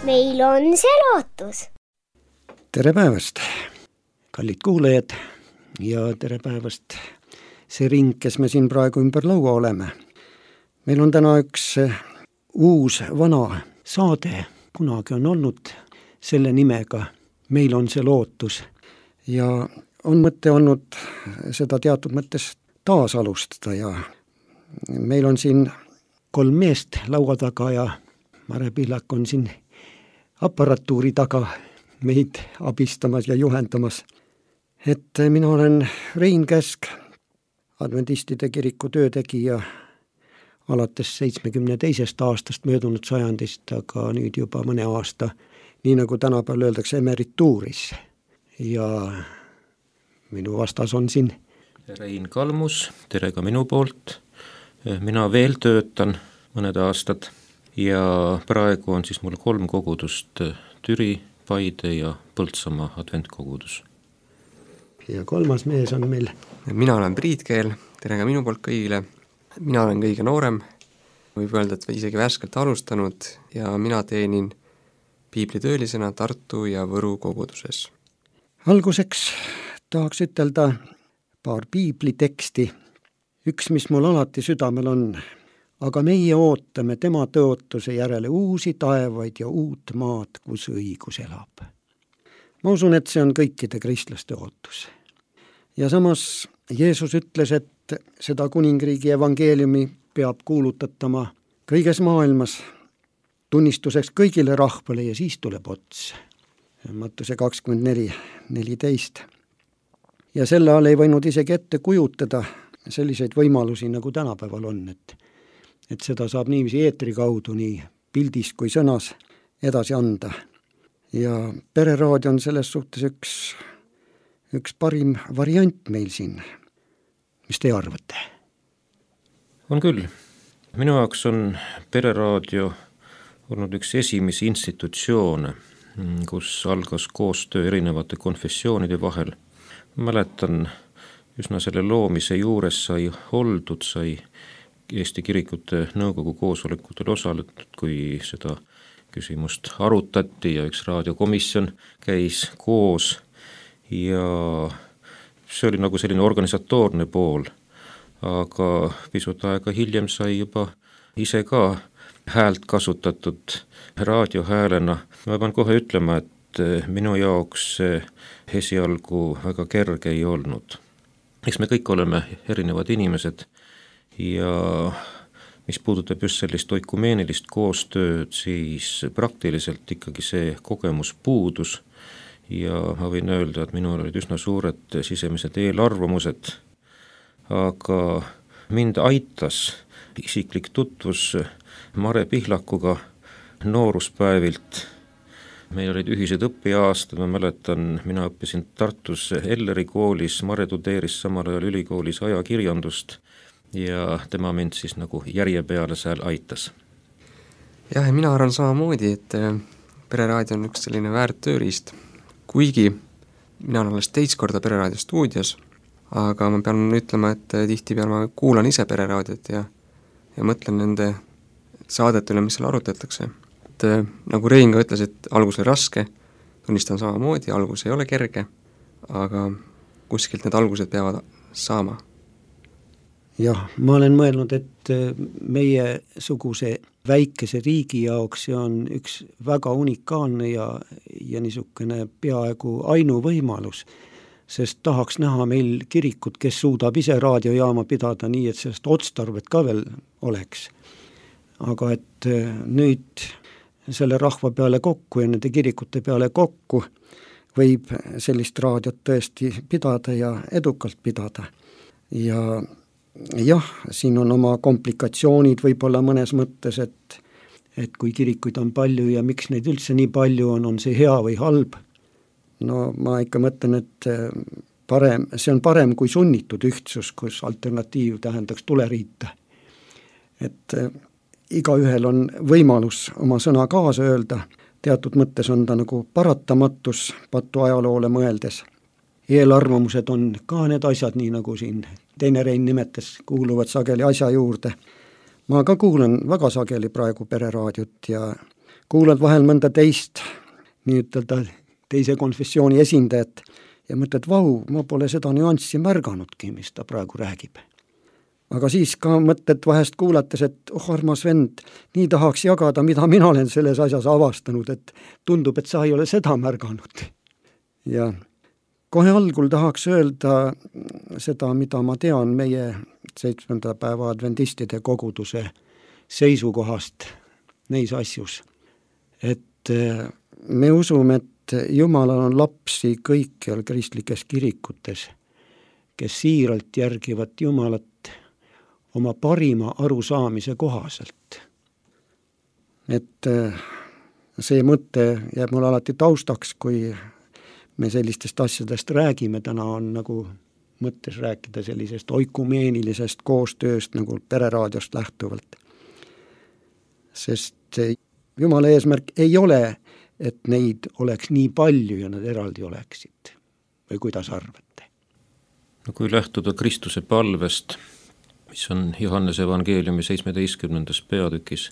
meil on see lootus. Tere päevast, kallid kuulajad, ja tere päevast see ring, kes me siin praegu ümber laua oleme. Meil on täna üks uus vana saade, kunagi on olnud selle nimega Meil on see lootus, ja on mõte olnud seda teatud mõttes taasalustada, ja meil on siin 3 meest laua taga ja Mare Pihlak on siin aparatuuri taga meid abistamas ja juhendamas. Et mina olen Rein Käsk, adventistide kiriku töötegija alates 72. aastast möödunud sajandist, aga nüüd juba mõne aasta, nii nagu tänapäeval öeldakse, emerituuris. Ja minu vastas on siin Rein Kalmus, tere ka minu poolt. Mina veel töötan mõned aastad ja praegu on siis mul 3 kogudust, Türi, Paide ja Põltsamaa adventkogudus. Ja 3. mees on meil. Mina olen Priit Keel, tere ka minu poolt kõigile. Mina olen kõige noorem, võib öelda, et isegi värskelt alustanud, ja mina teenin piiblitöölisena Tartu ja Võru koguduses. Alguseks tahaks ütelda paar piibliteksti. Üks, mis mul alati südamel on, aga meie ootame tema tõotuse järele uusi taevaid ja uut maad, kus õigus elab. Ma usun, et see on kõikide kristlaste ootus. Ja samas Jeesus ütles, et seda kuningriigi evangeeliumi peab kuulutatama kõiges maailmas, tunnistuseks kõigile rahvale, ja siis tuleb ots. Mattuse 24:14. Ja selle all ei võinud isegi ette kujutada selliseid võimalusi, nagu tänapäeval on, et seda saab niiviisi eetri kaudu, nii pildis kui sõnas edasi anda. Ja pereraadio on selles suhtes üks parim variant meil siin. Mis te arvate? On küll. Minu jaoks on pereraadio olnud üks esimesi institutsioone, kus algas koostöö erinevate konfessioonide vahel. Mäletan, üsna selle loomise juures sai oldud, sai Eesti Kirikute Nõukogu koosolekutel osaletud, kui seda küsimust arutati ja üks raadiokomisjon käis koos, ja see oli nagu selline organisatoorne pool, aga pisut aega hiljem sai juba ise ka häält kasutatud raadiohäälena. Ma pean kohe ütlema, et minu jaoks see esialgu väga kerge ei olnud. Eks me kõik oleme erinevad inimesed, ja mis puudutab just sellist oikumeenilist koostööd, siis praktiliselt ikkagi see kogemus puudus, ja ma võin öelda, et minul olid üsna suured sisemised eelarvamused, aga mind aitas isiklik tutvus Mare Pihlakuga nooruspäevilt. Meil olid ühised õpiaastad, ma mäletan, mina õppisin Tartus Elleri koolis, Mare tudeeris samal ajal ülikoolis ajakirjandust, ja tema mind siis nagu järje peale seal aitas. Jah, ja mina arvan samamoodi, et pereraadio on üks selline väärt tööriist, kuigi mina olen alles teist korda pereraadio stuudios, aga ma pean ütlema, et tihtipeale ma kuulan ise pereraadiot ja mõtlen nende saadete üle, mis seal arutatakse. Et nagu Rein ka ütles, et algus oli raske, tunnistan samamoodi, algus ei ole kerge, aga kuskilt need algused peavad saama. Jah, ma olen mõelnud, et meie suguse väikese riigi jaoks see on üks väga unikaalne ja niisugune peaaegu ainuvõimalus, sest tahaks näha meil kirikut, kes suudab ise raadiojaama pidada nii, et sellest otstarvet ka veel oleks. Aga et nüüd selle rahva peale kokku ja nende kirikute peale kokku võib sellist raadiot tõesti pidada ja edukalt pidada. Ja jah, siin on oma komplikatsioonid võib-olla mõnes mõttes, et kui kirikuid on palju ja miks neid üldse nii palju on see hea või halb. No ma ikka mõtlen, et see on parem kui sunnitud ühtsus, kus alternatiiv tähendaks tuleriita. Et igaühel on võimalus oma sõna kaasa öelda, teatud mõttes on ta nagu paratamatus patu ajaloole mõeldes. Eelarvamused on ka need asjad, nii nagu siin teine Rein nimetas, kuuluvad sageli asja juurde. Ma ka kuulen väga sageli praegu pereraadiot ja kuulad vahel mõnda teist, nii-ütelda teise konfessiooni esindajat ja mõtled, vau, ma pole seda nüanssi märganudki, mis ta praegu räägib. Aga siis ka mõtled vahest kuulates, et armas vend, nii tahaks jagada, mida mina olen selles asjas avastanud, et tundub, et sa ei ole seda märganud. Ja kohe algul tahaks öelda seda, mida ma tean meie 7. päeva adventistide koguduse seisukohast neis asjus. Et me usume, et Jumalal on lapsi kõikjal kristlikes kirikutes, kes siiralt järgivad Jumalat oma parima arusaamise kohaselt. Et see mõte jääb mul alati taustaks, kui me sellistest asjadest räägime, täna on nagu mõttes rääkida sellisest oikumeenilisest koostööst nagu Pereraadiost lähtuvalt. Sest Jumala eesmärk ei ole, et neid oleks nii palju ja nad eraldi oleksid. Või kuidas arvate? No kui lähtuda Kristuse palvest, mis on Johannese evangeeliumi 17. peatükis,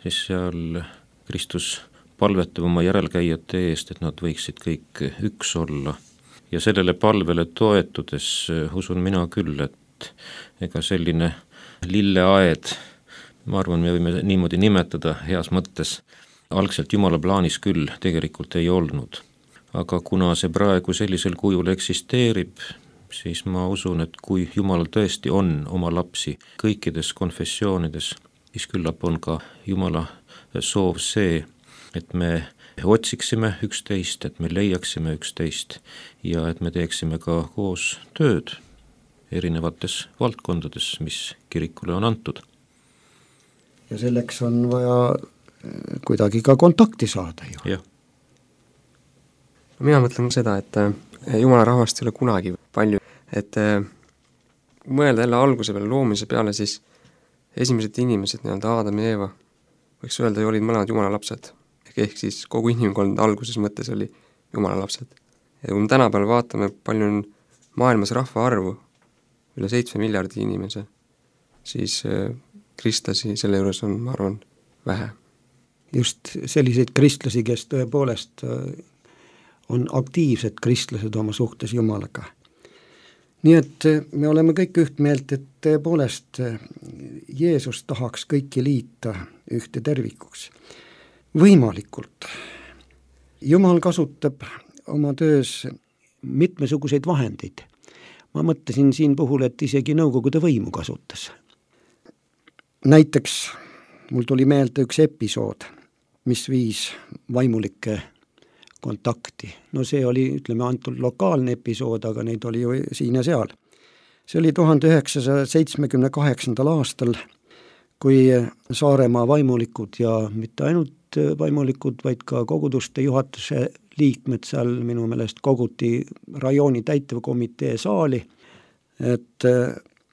siis seal Kristus palvetab oma järelkäijate eest, et nad võiksid kõik üks olla. Ja sellele palvele toetudes usun mina küll, et ega selline lilleaed, ma arvan, me võime niimoodi nimetada heas mõttes, algselt Jumala plaanis küll tegelikult ei olnud. Aga kuna see praegu sellisel kujul eksisteerib, siis ma usun, et kui Jumalal tõesti on oma lapsi kõikides konfessioonides, siis küllap on ka Jumala soov see, et me otsiksime üksteist, et me leiaksime üksteist ja et me teeksime ka koos tööd erinevates valdkondades, mis kirikule on antud. Ja selleks on vaja kuidagi ka kontakti saada ju. Jah. Mina mõtlen seda, et Jumala rahvast ei ole kunagi palju, et mõelda jälle alguse peale, loomise peale, siis esimesed inimesed, nii-öelda Aadam ja Eeva, võiks öelda, olid mõlemad Jumala lapsed. Ehk siis kogu inimkond alguses mõttes oli Jumala lapsed. Ja kui me tänapäeval vaatame, palju on maailmas rahvaarvu, üle 7 miljardi inimese, siis kristlasi selle juures on, ma arvan, vähe. Just selliseid kristlasi, kes tõepoolest on aktiivsed kristlased oma suhtes Jumalaga. Nii et me oleme kõik üht meelt, et tõepoolest Jeesus tahaks kõiki liita ühte tervikuks. Võimalikult. Jumal kasutab oma töös mitmesuguseid vahendeid. Ma mõtlesin siin puhul, et isegi Nõukogude võimu kasutas. Näiteks mul tuli meelde üks episood, mis viis vaimulike kontakti. No see oli, ütleme, antud lokaalne episood, aga neid oli ju siin ja seal. See oli 1978. aastal, kui Saaremaa vaimulikud ja mitte ainult vaimulikud, vaid ka koguduste juhatuse liikmed seal minu meelest koguti rajooni täitevkomitee saali, et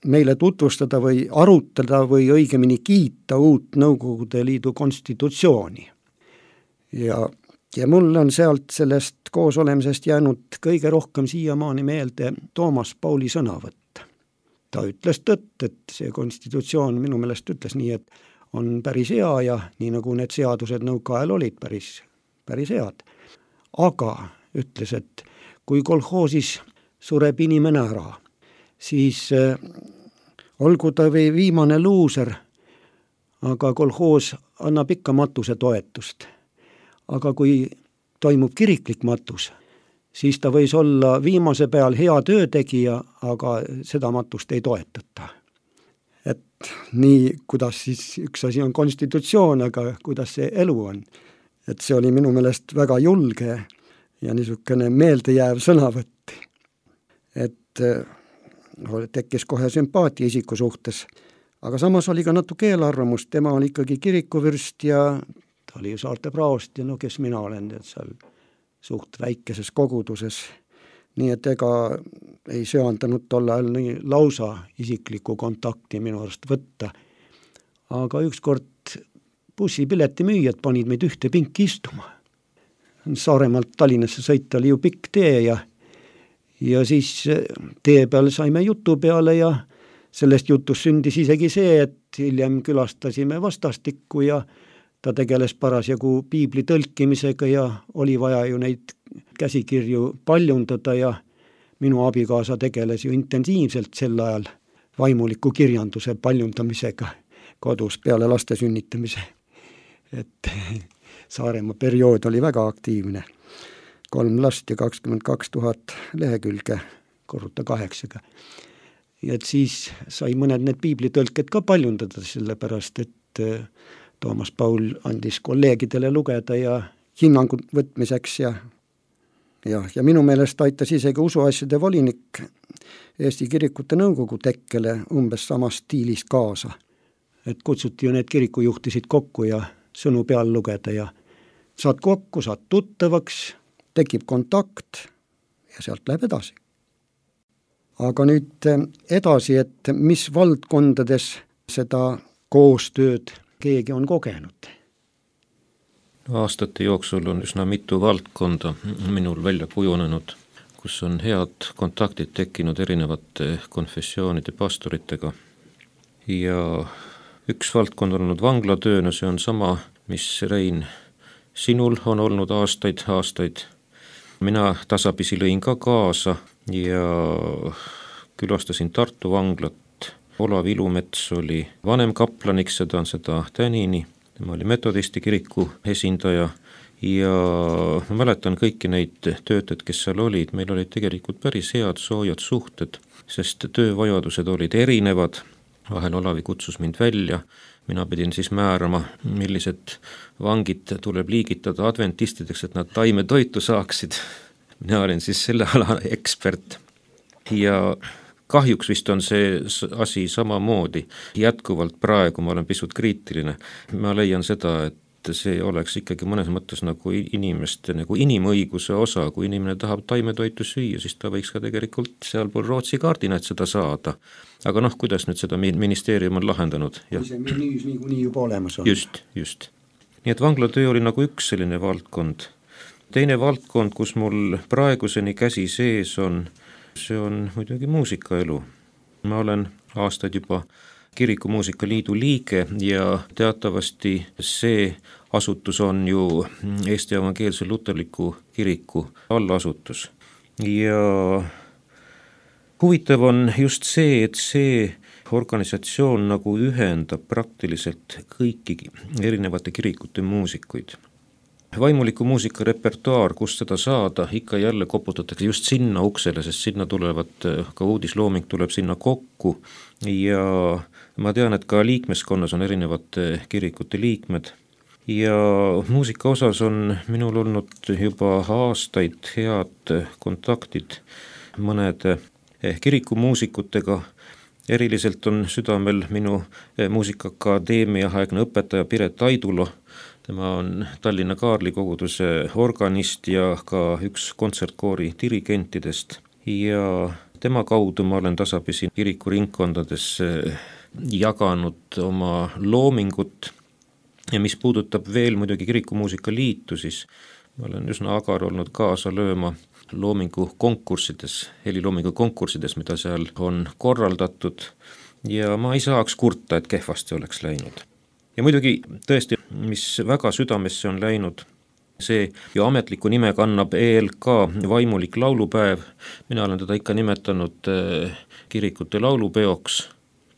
meile tutvustada või arutada või õigemini kiita uut Nõukogude Liidu konstitutsiooni. Ja mul on sealt sellest koosolemisest jäänud kõige rohkem siiamaani meelde Toomas Pauli sõnavõtt. Ta ütles tõtt, et see konstitutsioon minu meelest ütles nii, et on päris hea ja nii nagu need seadused nõukaajal olid päris head. Aga ütles, et kui kolhoosis sureb inimene ära, siis olgu ta või viimane luuser, aga kolhoos annab ikka matuse toetust. Aga kui toimub kiriklik matus, siis ta võis olla viimase peal hea töötegija, aga seda matust ei toetata. Et nii, kuidas siis üks asi on konstitutsioon, aga kuidas see elu on. Et see oli minu meelest väga julge ja niisugune meeldejääv sõnavõtt. Et tekkis kohe sümpaatia isiku suhtes, aga samas oli ka natuke eelarvamust, tema oli ikkagi kirikuvürst ja ta oli ju saarte praost ja no kes mina olen, et seal suht väikeses koguduses. Nii et ega ei söandanud tolle ajal nii lausa isiklikku kontakti minu arust võtta. Aga ükskord bussipileti müüjad panid meid ühte pinki istuma. Saaremaalt Tallinnasse sõita oli ju pikk tee ja siis tee peal saime jutu peale ja sellest jutust sündis isegi see, et hiljem külastasime vastastikku ja ta tegeles parasjagu piibli tõlkimisega ja oli vaja ju neid käsikirju paljundada ja minu abikaasa tegeles ju intensiivselt sel ajal vaimuliku kirjanduse paljundamisega kodus peale laste sünnitamise. Et Saaremaa periood oli väga aktiivne. 3 last ja 22 000 lehekülge, korruta 8-ga. Ja et siis sai mõned need piiblitõlked ka paljundada, sellepärast et Toomas Paul andis kolleegidele lugeda ja hinnangu võtmiseks ja minu meelest aitas isegi usuasjade volinik Eesti Kirikute Nõukogu tekkele umbes samas stiilis kaasa. Et kutsuti ju need kirikujuhtisid kokku ja sõnu peal lugeda ja saad kokku, saad tuttavaks, tekib kontakt ja sealt läheb edasi. Aga nüüd edasi, et mis valdkondades seda koostööd keegi on kogenud? Aastate jooksul on üsna mitu valdkonda minul välja kujunenud, kus on head kontaktid tekkinud erinevate konfessioonide pastoritega. Ja üks valdkond on olnud vanglatööna, see on sama, mis Rein, sinul on olnud aastaid. Mina tasapisi lõin ka kaasa ja külastasin Tartu vanglat. Olav Ilumets oli vanem kaplaniks, seda tänini. Tema oli metodisti kiriku esindaja ja ma mäletan kõiki neid töötajaid, kes seal olid. Meil olid tegelikult päris head soojad suhted, sest töövajadused olid erinevad. Vahel Olavi kutsus mind välja. Mina pidin siis määrama, millised vangid tuleb liigitada adventistideks, et nad taimetoitu saaksid. Mina olin siis selle ala ekspert ja kahjuks vist on see asi samamoodi. Jätkuvalt praegu ma olen pisut kriitiline. Ma leian seda, et see oleks ikkagi mõnes mõttes nagu inimeste nagu inimõiguse osa. Kui inimene tahab taimetoitu süüa, siis ta võiks ka tegelikult sealpool Rootsi kaardina seda saada. Aga kuidas nüüd seda ministeerium on lahendanud? Kui see menüüs nii juba olemas on. Just. Nii et vanglatöö oli nagu üks selline valdkond. Teine valdkond, kus mul praeguseni käsi sees on, see on muidugi muusikaelu. Ma olen aastaid juba Kirikumuusika Liidu liige ja teatavasti see asutus on ju Eesti Evangeelse Luterliku Kiriku allasutus. Ja huvitav on just see, et see organisatsioon nagu ühendab praktiliselt kõiki erinevate kirikute muusikuid. Vaimuliku muusika repertuaar, kus seda saada, ikka jälle koputatakse just sinna uksele, sest sinna tulevad, ka uudislooming tuleb sinna kokku ja ma tean, et ka liikmeskonnas on erinevate kirikute liikmed ja muusika osas on minul olnud juba aastaid head kontaktid mõnede kirikumuusikutega. Eriliselt on südamel minu muusikaakadeemia aegne õpetaja Piret Aidulo. Tema on Tallinna Kaarli koguduse organist ja ka üks kontsertkoori dirigentidest ja tema kaudu ma olen tasapisi kirikuringkondades jaganud oma loomingut ja mis puudutab veel muidugi Kirikumuusika Liitu, siis ma olen üsna agar olnud kaasa lööma loomingu konkursides, heliloomingu konkursides, mida seal on korraldatud ja ma ei saaks kurta, et kehvasti oleks läinud. Ja muidugi tõesti, mis väga südamesse on läinud, see ju ametliku nime kannab ELK vaimulik laulupäev. Mina olen teda ikka nimetanud kirikute laulupeoks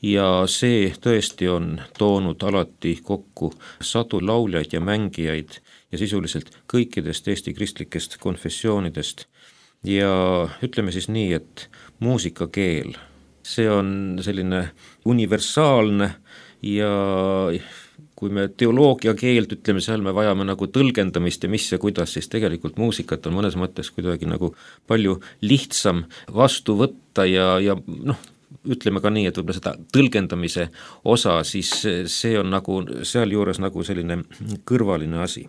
ja see tõesti on toonud alati kokku sadu lauljaid ja mängijaid ja sisuliselt kõikidest Eesti kristlikest konfessioonidest. Ja ütleme siis nii, et muusikakeel, see on selline universaalne ja kui me teoloogia keelt ütleme, seal me vajame nagu tõlgendamist ja mis ja kuidas, siis tegelikult muusikat on mõnes mõttes kuidagi nagu palju lihtsam vastu võtta ja ütleme ka nii, et võib-olla seda tõlgendamise osa, siis see on nagu sealjuures nagu selline kõrvaline asi.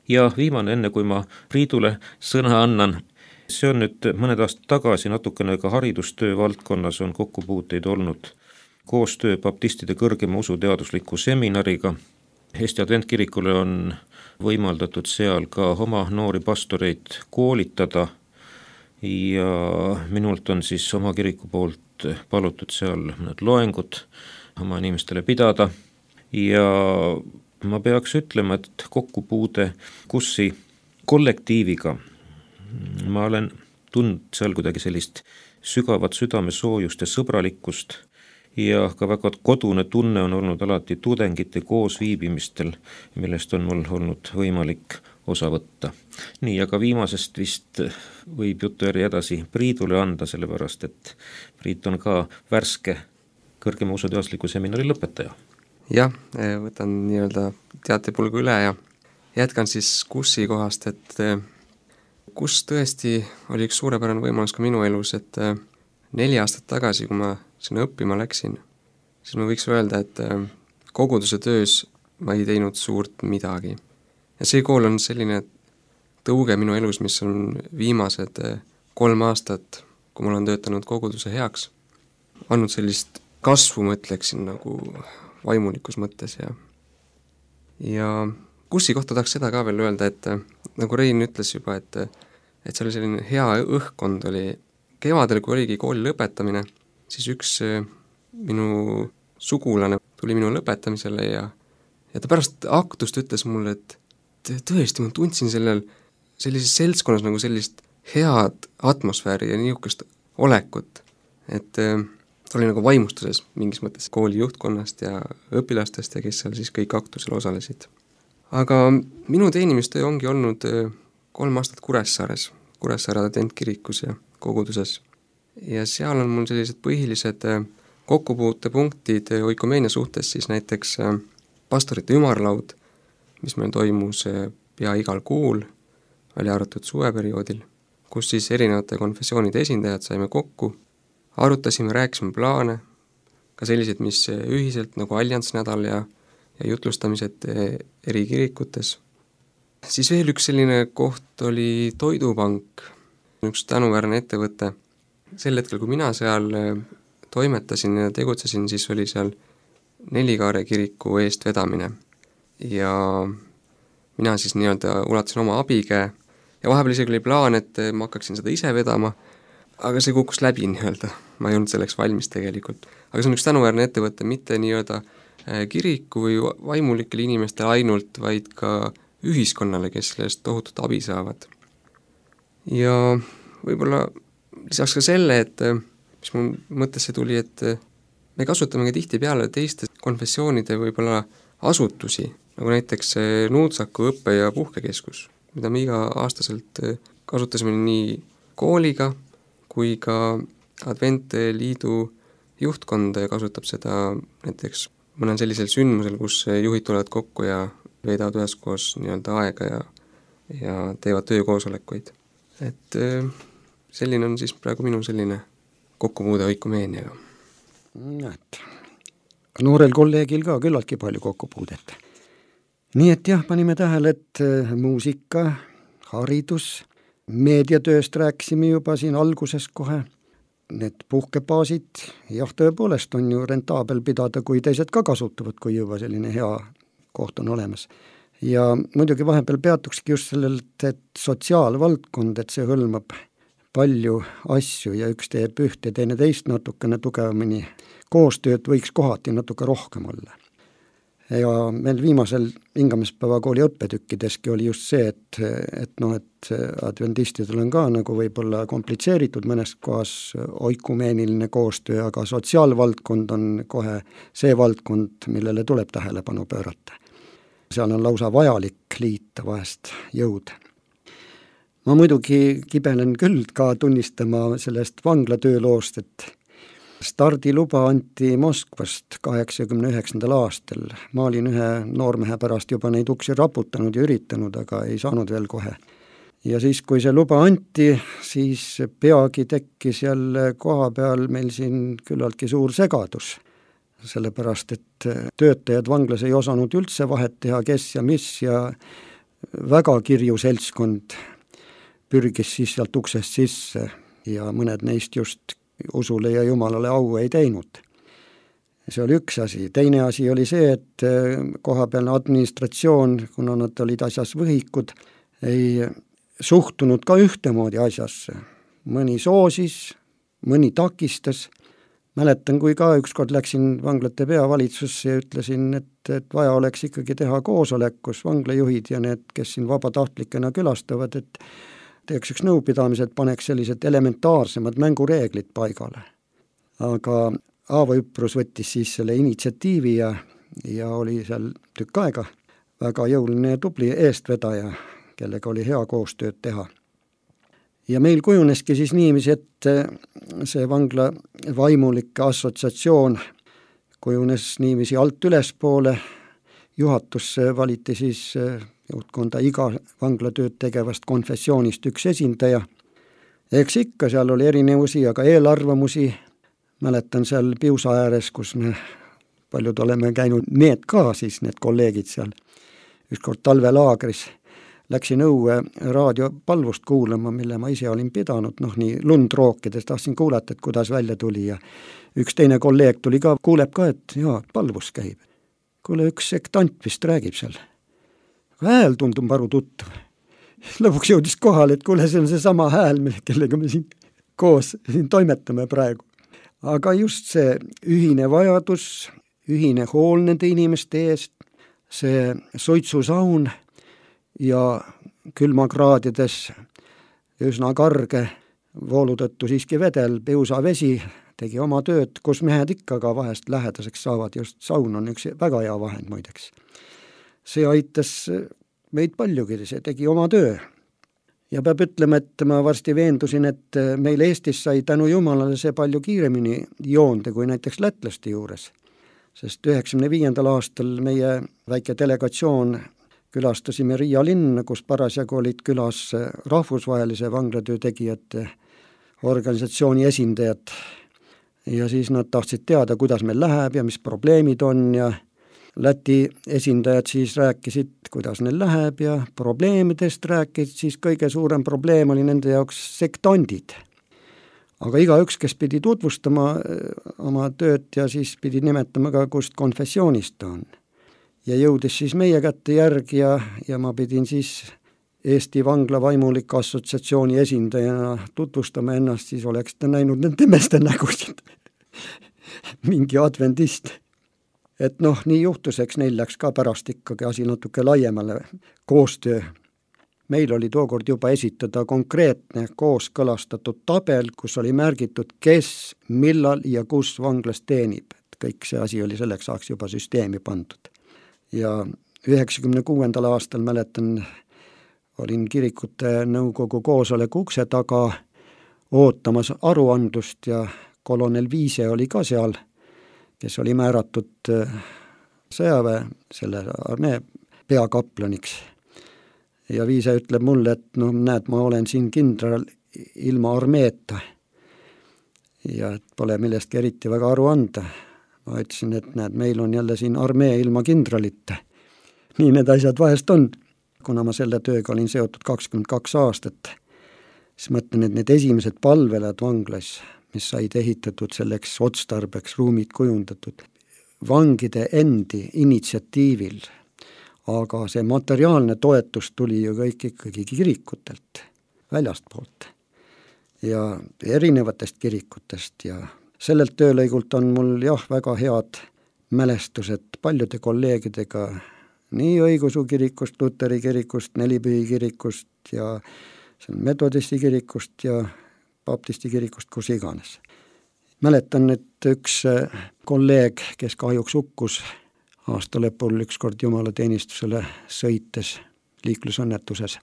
Ja viimane, enne kui ma Priidule sõna annan, see on nüüd mõned aastad tagasi natukene ka haridustöö valdkonnas on kokkupuuteid olnud. Koostöö baptistide kõrgema usuteadusliku seminariga. Eesti Adventkirikule on võimaldatud seal ka oma noori pastoreid koolitada ja minult on siis oma kiriku poolt palutud seal mõned loengud oma inimestele pidada ja ma peaks ütlema, et kokkupuude KUS-i kollektiiviga ma olen tundnud seal kuidagi sellist sügavat südamesoojust ja sõbralikkust ja ka väga kodune tunne on olnud alati tudengite koosviibimistel, millest on mul olnud võimalik osa võtta. Nii, aga viimasest vist võib jutujärje edasi Priidule anda, sellepärast et Priit on ka värske kõrgema usuteadusliku seminari lõpetaja. Jah, võtan nii-öelda teatepulgu üle ja jätkan siis KUS-i kohast, et KUS tõesti oli üks suurepärane võimalus ka minu elus, et 4 aastat tagasi, kui ma sinna õppima läksin, siis ma võiks öelda, et koguduse töös ma ei teinud suurt midagi. Ja see kool on selline tõuge minu elus, mis on viimased 3 aastat, kui ma olen töötanud koguduse heaks, andnud sellist kasvu, ma ütleksin, nagu vaimulikus mõttes ja KUS-i kohta tahaks seda ka veel öelda, et nagu Rein ütles juba, et see oli selline hea õhkkond oli kevadel, kui oligi kooli lõpetamine, siis üks minu sugulane tuli minu lõpetamisele ja ta pärast aktust ütles mulle, et tõesti, ma tundsin sellises seltskonnas nagu sellist head atmosfääri ja niisugust olekut, et ta oli nagu vaimustuses mingis mõttes kooli juhtkonnast ja õpilastest ja kes seal siis kõik aktusel osalesid. Aga minu teenimistöö ongi olnud 3 aastat Kuressaare adventkirikus ja koguduses. Ja seal on mul sellised põhilised kokkupuutepunktid oikomeenia suhtes, siis näiteks pastorite ümarlaud, mis meil toimus pea igal kuul, välja arvatud suveperioodil, kus siis erinevate konfessioonide esindajad saime kokku, arutasime, rääkisime plaane, ka sellised, mis ühiselt nagu alliansnädal ja jutlustamised eri kirikutes. Siis veel üks selline koht oli Toidupank, üks tänuväärne ettevõte. Sel hetkel, kui mina seal toimetasin ja tegutsesin, siis oli seal Nelikaare kiriku eest vedamine. Ja mina siis nii-öelda ulatasin oma abikäe ja vahepeal isegi oli plaan, et ma hakkaksin seda ise vedama, aga see kukkus läbi nii-öelda. Ma ei olnud selleks valmis tegelikult. Aga see on üks tänuväärne ettevõte, mitte nii-öelda kiriku või vaimulikele inimestele ainult, vaid ka ühiskonnale, kes sellest tohutut abi saavad. Ja võib-olla lisaks ka selle, et mis mul mõttesse tuli, et me kasutame ka tihti peale teiste konfessioonide võib-olla asutusi, nagu näiteks Nuutsaku õppe- ja puhkekeskus, mida me iga-aastaselt kasutasime nii kooliga kui ka Adventliidu juhtkond kasutab seda näiteks mõnel sellisel sündmusel, kus juhid tulevad kokku ja veedavad üheskoos nii-öelda aega ja teevad töökoosolekuid. Et selline on siis praegu minu selline kokkupuude oikomeeniaga. Noorel kolleegil ka küllaltki palju kokkupuudet. Nii et jah, panime tähele, et muusika, haridus, meediatööst rääkisime juba siin alguses kohe. Need puhkebaasid, jah, tõepoolest on ju rentaabel pidada, kui teised ka kasutavad, kui juba selline hea koht on olemas. Ja muidugi vahepeal peatukski just sellelt, et sotsiaalvaldkond, et see hõlmab palju asju ja üks teeb üht ja teine teist natukene tugevamini. Koostööd võiks kohati natuke rohkem olla. Ja meil viimasel Hingamispäeva kooli õppetükkideski oli just see, et adventistidel on ka nagu võib-olla komplitseeritud mõnes kohas oikumeeniline koostöö, aga sotsiaalvaldkond on kohe see valdkond, millele tuleb tähelepanu pöörata. Seal on lausa vajalik liita vahest jõud. Ma muidugi kibelen küll ka tunnistama sellest vanglatööloost, et stardiluba anti Moskvast 89. aastal. Ma olin ühe noormehe pärast juba neid uksi raputanud ja üritanud, aga ei saanud veel kohe. Ja siis, kui see luba anti, siis peagi tekkis jälle koha peal meil siin küllaltki suur segadus. Sellepärast, et töötajad vanglas ei osanud üldse vahet teha, kes ja mis ja väga kirju seltskond pürgis siis sealt uksest sisse ja mõned neist just usule ja Jumalale au ei teinud. See oli üks asi. Teine asi oli see, et kohapealne administratsioon, kuna nad olid asjas võhikud, ei suhtunud ka ühtemoodi asjasse. Mõni soosis, mõni takistas. mäletan, kui ka ükskord läksin vanglate peavalitsusse ja ütlesin, et vaja oleks ikkagi teha koosolek, kus vanglajuhid ja need, kes siin vabatahtlikena külastavad, et teeks üks nõupidamised, paneks sellised elementaarsemad mängureeglid paigale. Aga Aavo Üprus võttis siis selle initsiatiivi ja oli seal tükk aega väga jõuline ja tubli eestvedaja, kellega oli hea koostööd teha. Ja meil kujuneski siis niiviisi, et see vangla vaimulike assotsiatsioon kujunes niiviisi alt ülespoole, juhatusse valiti siis juhtkonda iga vanglatööd tegevast konfessioonist üks esindaja. Eks ikka seal oli erinevusi ja ka eelarvamusi. Mäletan seal Piusa ääres, kus me paljud oleme käinud, need ka siis, need kolleegid seal. Ükskord talvelaagris läksin õue raadiopalvust kuulama, mille ma ise olin pidanud, nii lund rookides, tahtsin kuulata, et kuidas välja tuli ja üks teine kolleeg tuli ka, kuuleb ka, et jaa, palvus käib. Kuule, üks sektant vist räägib seal. Hääl tundub aru tuttav. Lõpuks jõudis kohale, et kuule, see on see sama hääl, kellega me siin koos toimetame praegu. Aga just see ühine vajadus, ühine hool nende inimeste eest, see suitsusaun ja külmakraadides üsna karge voolu tõttu siiski vedel Piusa vesi tegi oma tööd, kus mehed ikka ka vahest lähedaseks saavad, just saun on üks väga hea vahend muideks. See aitas meid paljugi, see tegi oma töö. Ja peab ütlema, et ma varsti veendusin, et meil Eestis sai tänu Jumalale see palju kiiremini joonde kui näiteks lätlaste juures. Sest 1995. aastal meie väike delegatsioon külastasime Riia linna, kus parasjagu olid külas rahvusvahelise vanglatöö tegijate organisatsiooni esindajad. Ja siis nad tahtsid teada, kuidas meil läheb ja mis probleemid on ja Läti esindajad siis rääkisid, kuidas neil läheb ja probleemidest rääkisid, siis kõige suurem probleem oli nende jaoks sektandid. Aga igaüks, kes pidi tutvustama oma tööd ja siis pidi nimetama ka, kust konfessioonist ta on. Ja jõudis siis meie kätte järgi ja ma pidin siis Eesti Vangla Vaimulike Assotsiatsiooni esindajana tutvustama ennast, siis oleks ta näinud nende meeste nägusid. Mingi adventist. Et nii juhtus, eks neil läks ka pärast ikkagi asi natuke laiemale koostöö. Meil oli tookord juba esitada konkreetne kooskõlastatud tabel, kus oli märgitud, kes, millal ja kus vanglas teenib. Et kõik see asi oli selleks saaks juba süsteemi pandud. Ja 1996. aastal mäletan, olin kirikute nõukogu koosoleku ukse taga ootamas aruandlust ja kolonel Viise oli ka seal, kes oli määratud sõjaväe, selle armee peakaplaniks. Ja Viise ütleb mulle, et näed, ma olen siin kindral ilma armeeta ja et pole millestki eriti väga aru anda. Ma ütlesin, et näed, meil on jälle siin armee ilma kindralite. Nii need asjad vahest on. Kuna ma selle tööga olin seotud 22 aastat, siis mõtlen, et need esimesed palvelad vanglas, mis said ehitatud selleks otstarbeks, ruumid kujundatud, vangide endi initsiatiivil, aga see materiaalne toetus tuli ju kõik ikkagi kirikutelt, väljastpoolt ja erinevatest kirikutest ja sellelt töölõigult on mul väga head mälestused paljude kolleegidega, nii õigeusu kirikust, Luteri kirikust, Nelipühi kirikust ja metodisti kirikust ja baptisti kirikust, kus iganes. Mäletan, et üks kolleeg, kes kahjuks hukkus aasta lõpul ükskord jumalateenistusele sõites liiklusõnnetuses,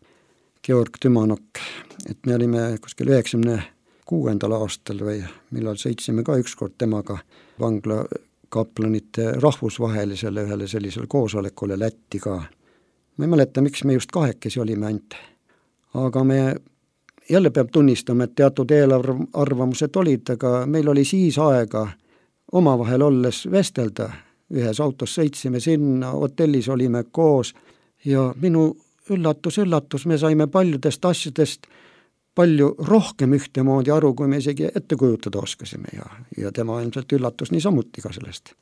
Georg Tümanok, et me olime kuskil 96. aastal või millal sõitsime ka ükskord temaga vangla kaplanite rahvusvahelisele ühele sellisele koosolekule Lätti ka. Ma ei mäleta, miks me just kahekesi olime ainult, aga me jälle peab tunnistama, et teatud eelarvamused olid, aga meil oli siis aega omavahel olles vestelda. Ühes autos sõitsime sinna, hotellis olime koos ja minu üllatus, me saime paljudest asjadest palju rohkem ühtemoodi aru, kui me isegi ette kujutada oskasime ja tema ilmselt üllatus niisamuti ka sellest.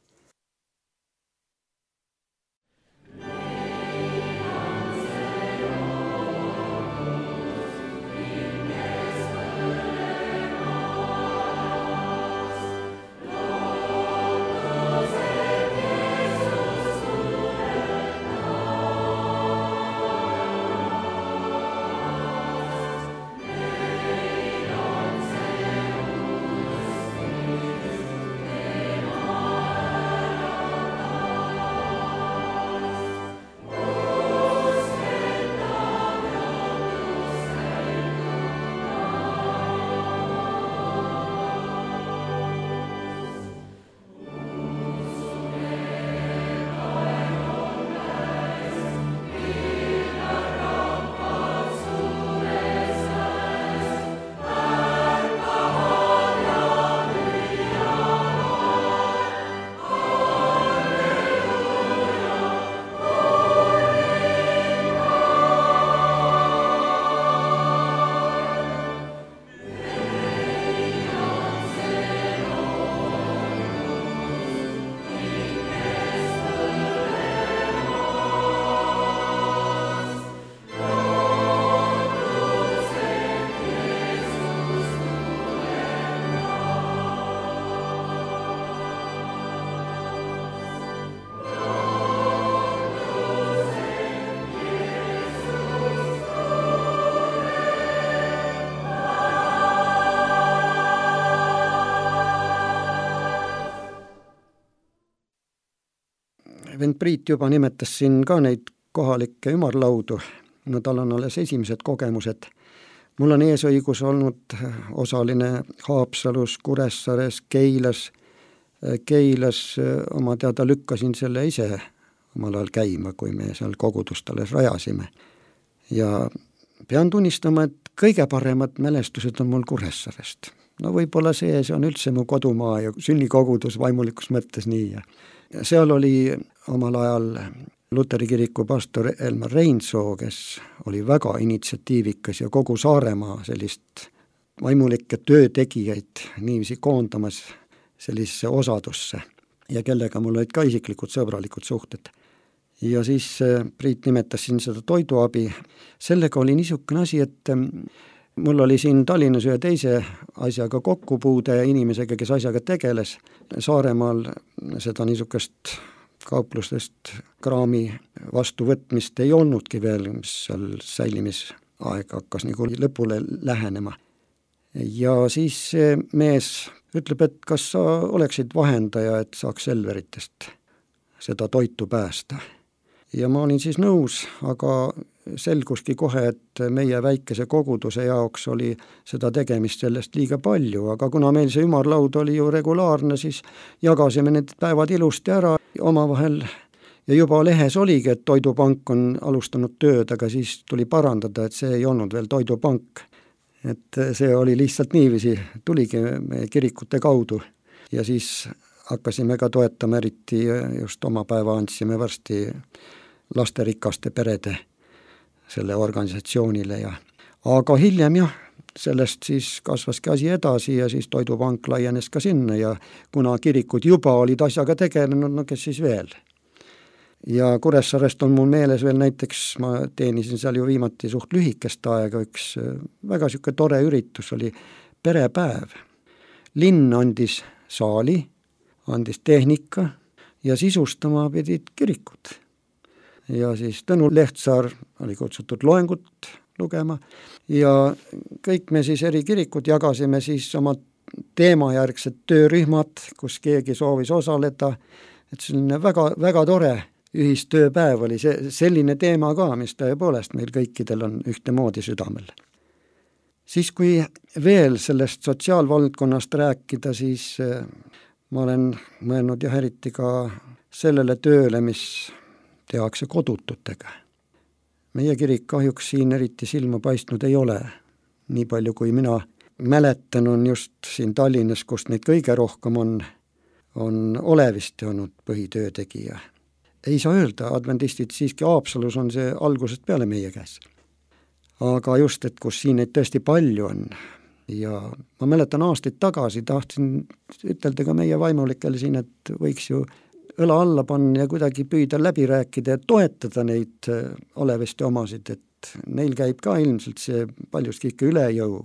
vend Priit juba nimetas siin ka neid kohalikke ümarlaudu, no tal on alles esimesed kogemused. Mul on eesõigus olnud osaline Haapsalus, Kuressaares, Keilas oma teada lükkasin selle ise omal ajal käima, kui me seal kogudust alles rajasime. Ja pean tunnistama, et kõige paremad mälestused on mul Kuressaarest. No võib-olla see on üldse mu kodumaa ja sünnikogudus vaimulikus mõttes nii. Ja seal oli omal ajal Luteri kiriku pastor Elmar Reindsoo, kes oli väga initsiatiivikas ja kogu Saaremaa sellist vaimulikke töötegijaid niiviisi koondamas sellisesse osadusse ja kellega mul olid ka isiklikud sõbralikud suhted. Ja siis Priit nimetas siin seda toiduabi. Sellega oli niisugune asi, et mul oli siin Tallinnas ühe teise asjaga kokkupuude inimesega, kes asjaga tegeles. Saaremaal seda niisugust kauplustest kraami vastuvõtmist ei olnudki veel, mis seal säilimisaeg hakkas nagu lõpule lähenema. Ja siis see mees ütleb, et kas sa oleksid vahendaja, et saaks Selveritest seda toitu päästa. Ja ma olin siis nõus, aga selguski kohe, et meie väikese koguduse jaoks oli seda tegemist sellest liiga palju, aga kuna meil see ümarlaud oli ju regulaarne, siis jagasime need päevad ilusti ära omavahel ja juba lehes oligi, et Toidupank on alustanud tööd, aga siis tuli parandada, et see ei olnud veel Toidupank. Et see oli lihtsalt niiviisi, tuligi meie kirikute kaudu ja siis hakkasime ka toetama, eriti just oma päeva andsime varsti lasterikaste perede selle organisatsioonile ja aga hiljem jah, sellest siis kasvaski asi edasi ja siis Toidupank laienes ka sinna ja kuna kirikud juba olid asjaga tegelenud, no kes siis veel. Ja Kuressaarest on mul meeles veel näiteks, ma teenisin seal ju viimati suht lühikest aega, üks väga siuke tore üritus oli perepäev. Linn andis saali, andis tehnika ja sisustama pidid kirikud. Ja siis Tõnu Lehtsaar oli kutsutud loengut lugema ja kõik me siis eri kirikud jagasime siis oma teemajärgsed töörühmad, kus keegi soovis osaleda, et selline väga, väga tore ühistööpäev oli see, selline teema ka, mis tõepoolest meil kõikidel on ühtemoodi südamel. Siis kui veel sellest sotsiaalvaldkonnast rääkida, siis ma olen mõelnud jah eriti ka sellele tööle, mis tehakse kodututega. Meie kirik kahjuks siin eriti silma paistnud ei ole. Nii palju kui mina mäletan on just siin Tallinnas, kust neid kõige rohkem on Olevisti olnud põhitöötegija. Ei saa öelda, adventistid siiski Haapsalus on see algusest peale meie käes. Aga just, et kus siin neid tõesti palju on. Ja ma mäletan aastaid tagasi, tahtsin ütelda ka meie vaimulikele siin, et võiks ju õla alla panna ja kuidagi püüda läbi rääkida ja toetada neid Olevisti omasid, et neil käib ka ilmselt see paljuski ikka üle jõu.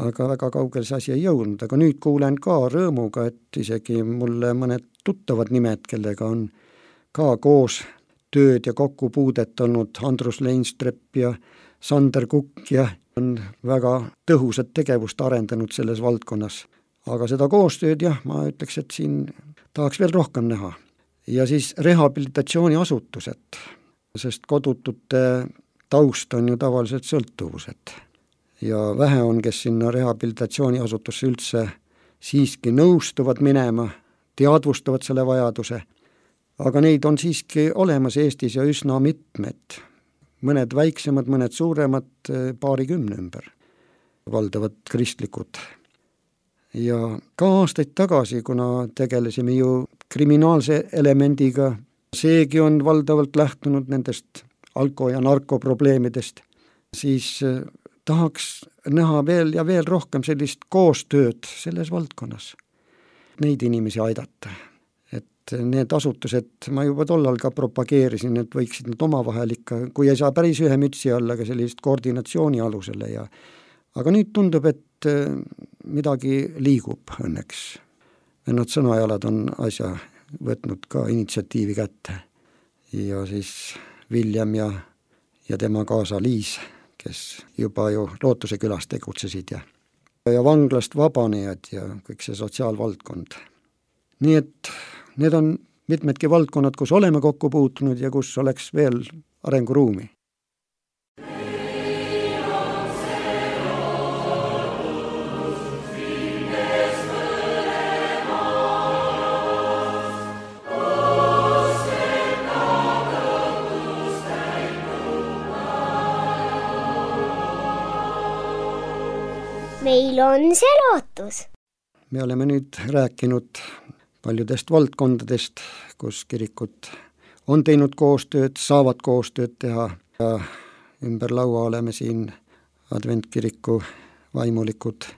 Aga väga kaugel see asi ei jõudnud, aga nüüd kuulen ka rõõmuga, et isegi mulle mõned tuttavad nimed, kellega on ka koos tööd ja kokkupuudet olnud, Andrus Leinstrepp ja Sander Kukk ja on väga tõhusat tegevust arendanud selles valdkonnas. Aga seda koostööd jah, ma ütleks, et siin tahaks veel rohkem näha. Ja siis rehabilitatsiooniasutused, sest kodutute taust on ju tavaliselt sõltuvused. Ja vähe on, kes sinna rehabilitatsiooniasutusse üldse siiski nõustuvad minema, teadvustavad selle vajaduse, aga neid on siiski olemas Eestis ja üsna mitmed. Mõned väiksemad, mõned suuremad, paarikümne ümber, valdavad kristlikud. Ja ka aastaid tagasi, kuna tegelesime ju kriminaalse elemendiga, seegi on valdavalt lähtunud nendest alko- ja narkoprobleemidest, siis tahaks näha veel ja veel rohkem sellist koostööd selles valdkonnas, neid inimesi aidata. Et need asutused, ma juba tollal ka propageerisin, et võiksid nad omavahel ikka, kui ei saa päris ühe mütsi alla, aga sellist koordinatsiooni alusele ja aga nüüd tundub, et midagi liigub õnneks. Nad sõnajalad on asja võtnud ka initsiatiivi kätte ja siis Viljem ja tema kaasa Liis, kes juba ju Lootuse külas tegutsesid ja vanglast vabanejad ja kõik see sotsiaalvaldkond. Nii et need on mitmedki valdkonnad, kus oleme kokku puutunud ja kus oleks veel arenguruumi. Meil on see lootus. Me oleme nüüd rääkinud paljudest valdkondadest, kus kirikud on teinud koostööd, saavad koostööd teha ja ümber laua oleme siin adventkiriku vaimulikud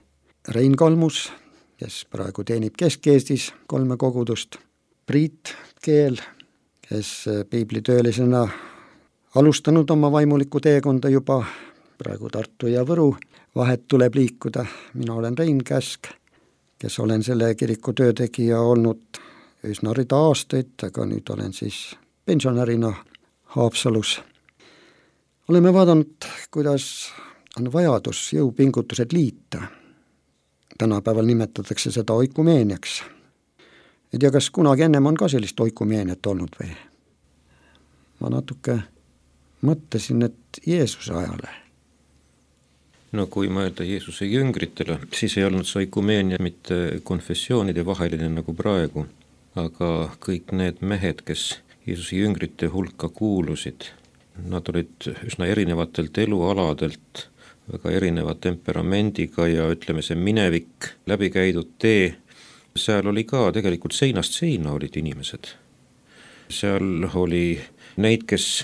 Rein Kalmus, kes praegu teenib Kesk-Eestis 3 kogudust, Priit Keel, kes piiblitöölisena alustanud oma vaimuliku teekonda juba, praegu Tartu ja Võru vahet tuleb liikuda. Mina olen Rein Käsk, kes olen selle kiriku töötegija olnud üsna rida aastaid, aga nüüd olen siis pensionärina Haapsalus. Oleme vaadanud, kuidas on vajadus jõupingutused liita. Tänapäeval nimetatakse seda oikumeeniaks. Ei tea, kas kunagi ennem on ka sellist oikumeeniat olnud või? Ma natuke mõtlesin, et Jeesuse ajale. No kui mõelda Jeesuse jüngritele, siis ei olnud see oikumeenia mitte konfessioonide vaheline nagu praegu, aga kõik need mehed, kes Jeesuse jüngrite hulka kuulusid, nad olid üsna erinevatelt elualadelt, väga erineva temperamendiga ja ütleme, see minevik, läbikäidud tee, seal oli ka tegelikult seinast seina olid inimesed. Seal oli neid, kes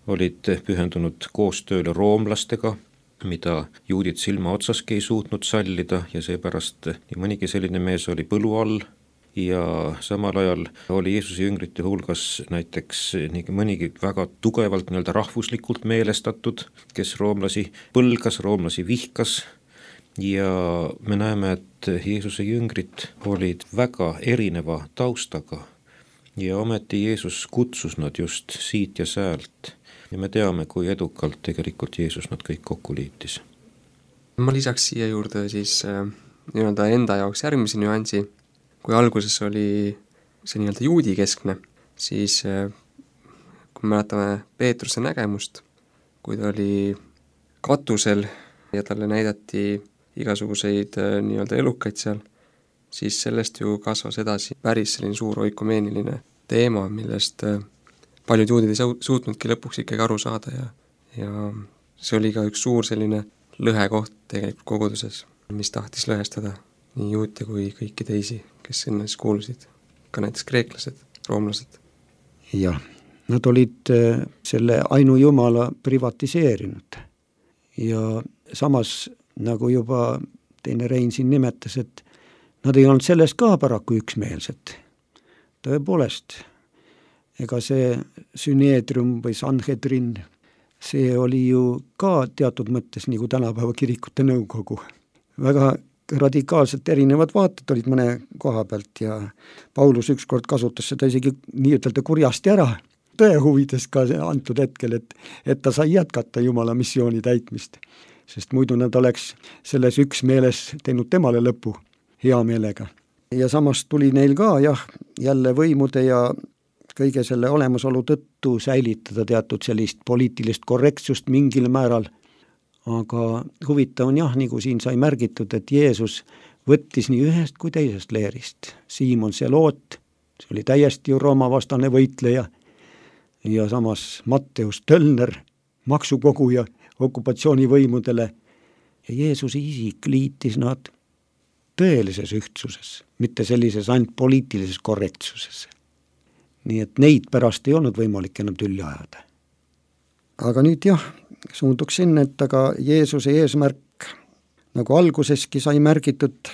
olid pühendunud koostööle roomlastega, mida juudid silma otsaski ei suutnud sallida ja seepärast nii mõnigi selline mees oli põlu all ja samal ajal oli Jeesuse jüngrite hulgas näiteks nii mõnigi väga tugevalt nii-öelda rahvuslikult meelestatud, kes roomlasi põlgas, roomlasi vihkas ja me näeme, et Jeesuse jüngrid olid väga erineva taustaga ja ometi Jeesus kutsus nad just siit ja säält. Ja me teame, kui edukalt tegelikult Jeesus nad kõik kokku liitis. Ma lisaks siia juurde siis nii-öelda enda jaoks järgmise nüansi. Kui alguses oli see nii-öelda juudi keskne, siis kui mäletame Peetruse nägemust, kui ta oli katusel ja talle näidati igasuguseid nii-öelda elukaid seal, siis sellest ju kasvas edasi päris selline suur oikumeeniline teema, millest paljud juudid ei suutnudki lõpuks ikkagi aru saada ja see oli ka üks suur selline lõhekoht tegelikult koguduses, mis tahtis lõhestada nii juute kui kõiki teisi, kes sinna siis kuulusid, ka näiteks kreeklased, roomlased. Jah, nad olid selle ainujumala privatiseerinud ja samas, nagu juba teine Rein siin nimetas, et nad ei olnud selles ka paraku üksmeelsed. Tõepoolest, ega see süneedrium või sanhedrin, see oli ju ka teatud mõttes nagu tänapäeva kirikute nõukogu. Väga radikaalselt erinevad vaated olid mõne koha pealt ja Paulus ükskord kasutas seda isegi nii ütelda kurjasti ära, tõe huvides ka antud hetkel, et ta sai jätkata Jumala missiooni täitmist, sest muidu nad oleks selles üksmeeles teinud temale lõpu hea meelega. Ja samas tuli neil ka jälle võimude ja kõige selle olemasolu tõttu säilitada teatud sellist poliitilist korrektsust mingil määral. Aga huvitav on nagu siin sai märgitud, et Jeesus võttis nii ühest kui teisest leerist. Siimon Seloot, see oli täiesti ju Rooma vastane võitleja ja samas Matteus Töllner, maksukoguja okupatsioonivõimudele ja Jeesuse isik liitis nad tõelises ühtsuses, mitte sellises ainult poliitilises korrektsuses. Nii et neid pärast ei olnud võimalik enam tülli ajada. Aga nüüd suunduks sinna, et aga Jeesuse eesmärk, nagu alguseski sai märgitud,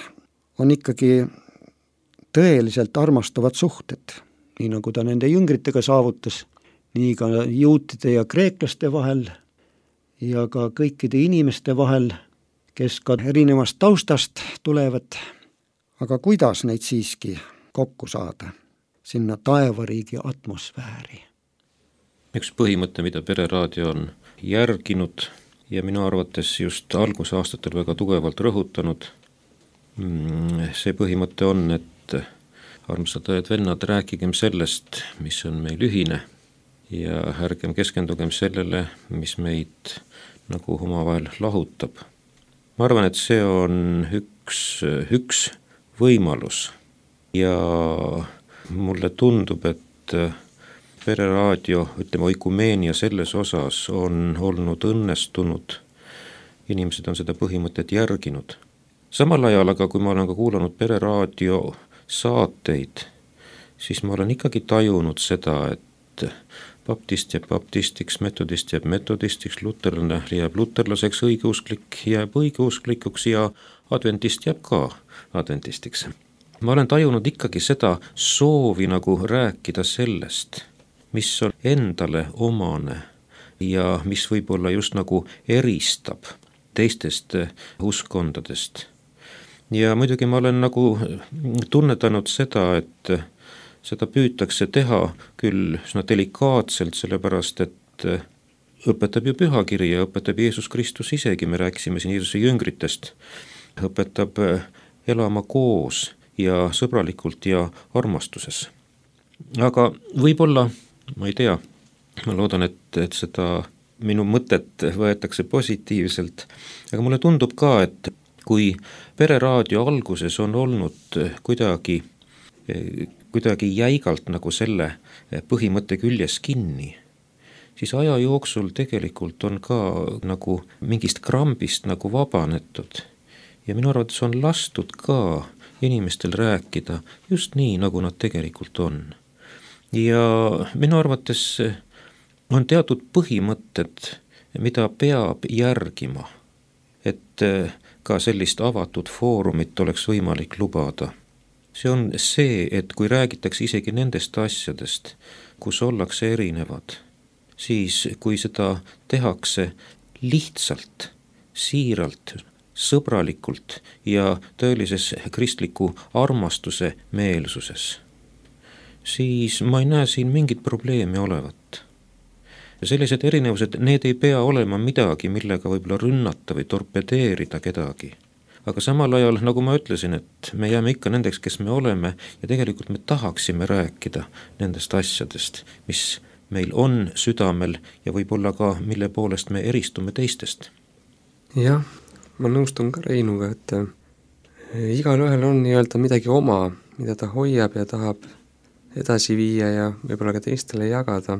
on ikkagi tõeliselt armastavad suhted, nii nagu ta nende jüngritega saavutas, nii ka juutide ja kreeklaste vahel ja ka kõikide inimeste vahel, kes ka erinevast taustast tulevad. Aga kuidas neid siiski kokku saada? Sinna taevariigi atmosfääri. Üks põhimõte, mida Pereraadio on järginud ja minu arvates just algusaastatel väga tugevalt rõhutanud, see põhimõte on, et armsad õed-vennad, rääkigem sellest, mis on meil ühine ja ärgem keskendugem sellele, mis meid nagu omavahel lahutab. Ma arvan, et see on üks võimalus ja mulle tundub, et Pereraadio, ütleme, oikumeenia selles osas on olnud õnnestunud. Inimesed on seda põhimõtet järginud. Samal ajal aga, kui ma olen ka kuulanud Pereraadio saateid, siis ma olen ikkagi tajunud seda, et baptist jääb baptistiks, metodist jääb metodistiks, luterlane jääb luterlaseks, õigeusklik jääb õigeusklikuks ja adventist jääb ka adventistiks. Ma olen tajunud ikkagi seda soovi nagu rääkida sellest, mis on endale omane ja mis võib-olla just nagu eristab teistest uskondadest. Ja muidugi ma olen nagu tunnetanud seda, et seda püütakse teha küll üsna delikaatselt, sellepärast et õpetab ju pühakiri ja õpetab Jeesus Kristus isegi, me rääkisime siin Jeesuse jüngritest, õpetab elama koos ja sõbralikult ja armastuses. Aga võib-olla, ma ei tea, ma loodan, et seda minu mõtet võetakse positiivselt, aga mulle tundub ka, et kui Pereraadio alguses on olnud kuidagi jäigalt nagu selle põhimõtte küljes kinni, siis aja jooksul tegelikult on ka nagu mingist krambist nagu vabanetud ja minu arvates on lastud ka inimestel rääkida just nii, nagu nad tegelikult on. Ja minu arvates on teatud põhimõtted, mida peab järgima, et ka sellist avatud foorumit oleks võimalik lubada. See on see, et kui räägitakse isegi nendest asjadest, kus ollakse erinevad, siis kui seda tehakse lihtsalt, siiralt, sõbralikult ja tõelises kristliku armastuse meelsuses, siis ma ei näe siin mingit probleemi olevat. Sellised erinevused, need ei pea olema midagi, millega võib-olla rünnata või torpedeerida kedagi. Aga samal ajal, nagu ma ütlesin, et me jääme ikka nendeks, kes me oleme ja tegelikult me tahaksime rääkida nendest asjadest, mis meil on südamel ja võib-olla ka, mille poolest me eristume teistest. Jah, ma nõustun ka Reinuga, et igal ühel on nii-öelda midagi oma, mida ta hoiab ja tahab edasi viia ja võib-olla ka teistele jagada.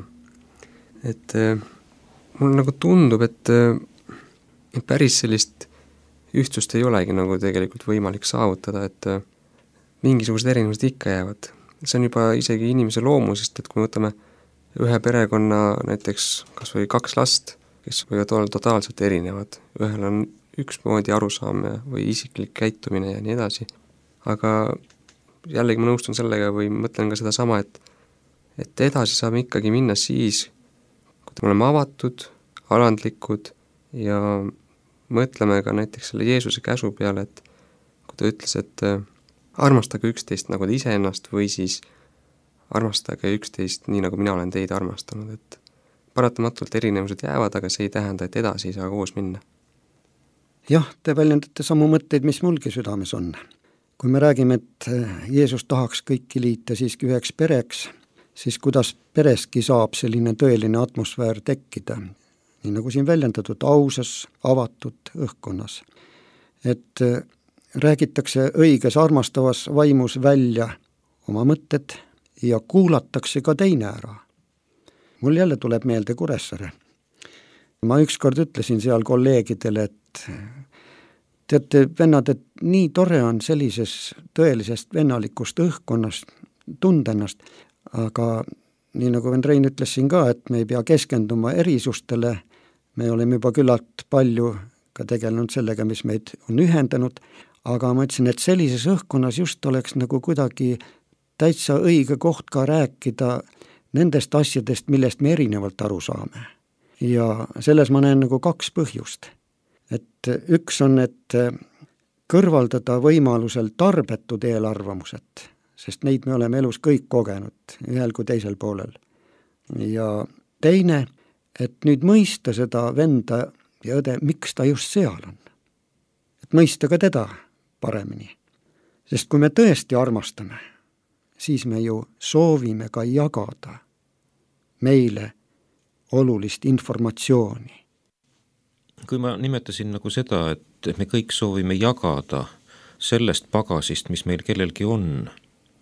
Et mulle nagu tundub, et päris sellist ühtsust ei olegi nagu tegelikult võimalik saavutada, et mingisugused erinevused ikka jäävad. See on juba isegi inimese loomusest, et kui me võtame ühe perekonna näiteks kas või 2 last, kes võivad olla totaalselt erinevad, ühel on üksmoodi arusaam või isiklik käitumine ja nii edasi, aga jällegi ma nõustun sellega või mõtlen ka seda sama, et edasi saame ikkagi minna siis, kui me oleme avatud, alandlikud ja mõtleme ka näiteks selle Jeesuse käsu peale, et kui ta ütles, et armastage üksteist nagu te iseennast või siis armastage üksteist nii, nagu mina olen teid armastanud, et paratamatult erinevused jäävad, aga see ei tähenda, et edasi ei saa koos minna. Jah, te väljendate samu mõtteid, mis mulgi südames on. Kui me räägime, et Jeesus tahaks kõiki liita siiski üheks pereks, siis kuidas pereski saab selline tõeline atmosfäär tekkida, nii nagu siin väljendatud, ausas, avatud õhkkonnas. Et räägitakse õiges armastavas vaimus välja oma mõtted ja kuulatakse ka teine ära. Mul jälle tuleb meelde Kuressaare. Ma ükskord ütlesin seal kolleegidele, et teate, vennad, et nii tore on sellises tõelisest vennalikust õhkkonnast tunda ennast, aga nii nagu Rein ütles siin ka, et me ei pea keskenduma erisustele, me oleme juba küllalt palju ka tegelenud sellega, mis meid on ühendanud, aga ma ütlesin, et sellises õhkkonnas just oleks nagu kuidagi täitsa õige koht ka rääkida nendest asjadest, millest me erinevalt aru saame. Ja selles ma näen nagu 2 põhjust. Et üks on, et kõrvaldada võimalusel tarbetud eelarvamused, sest neid me oleme elus kõik kogenud, ühel kui teisel poolel. Ja teine, et nüüd mõista seda venda ja õde, miks ta just seal on. Et mõista ka teda paremini. Sest kui me tõesti armastame, siis me ju soovime ka jagada meile olulist informatsiooni. Kui ma nimetasin nagu seda, et me kõik soovime jagada sellest pagasist, mis meil kellelgi on,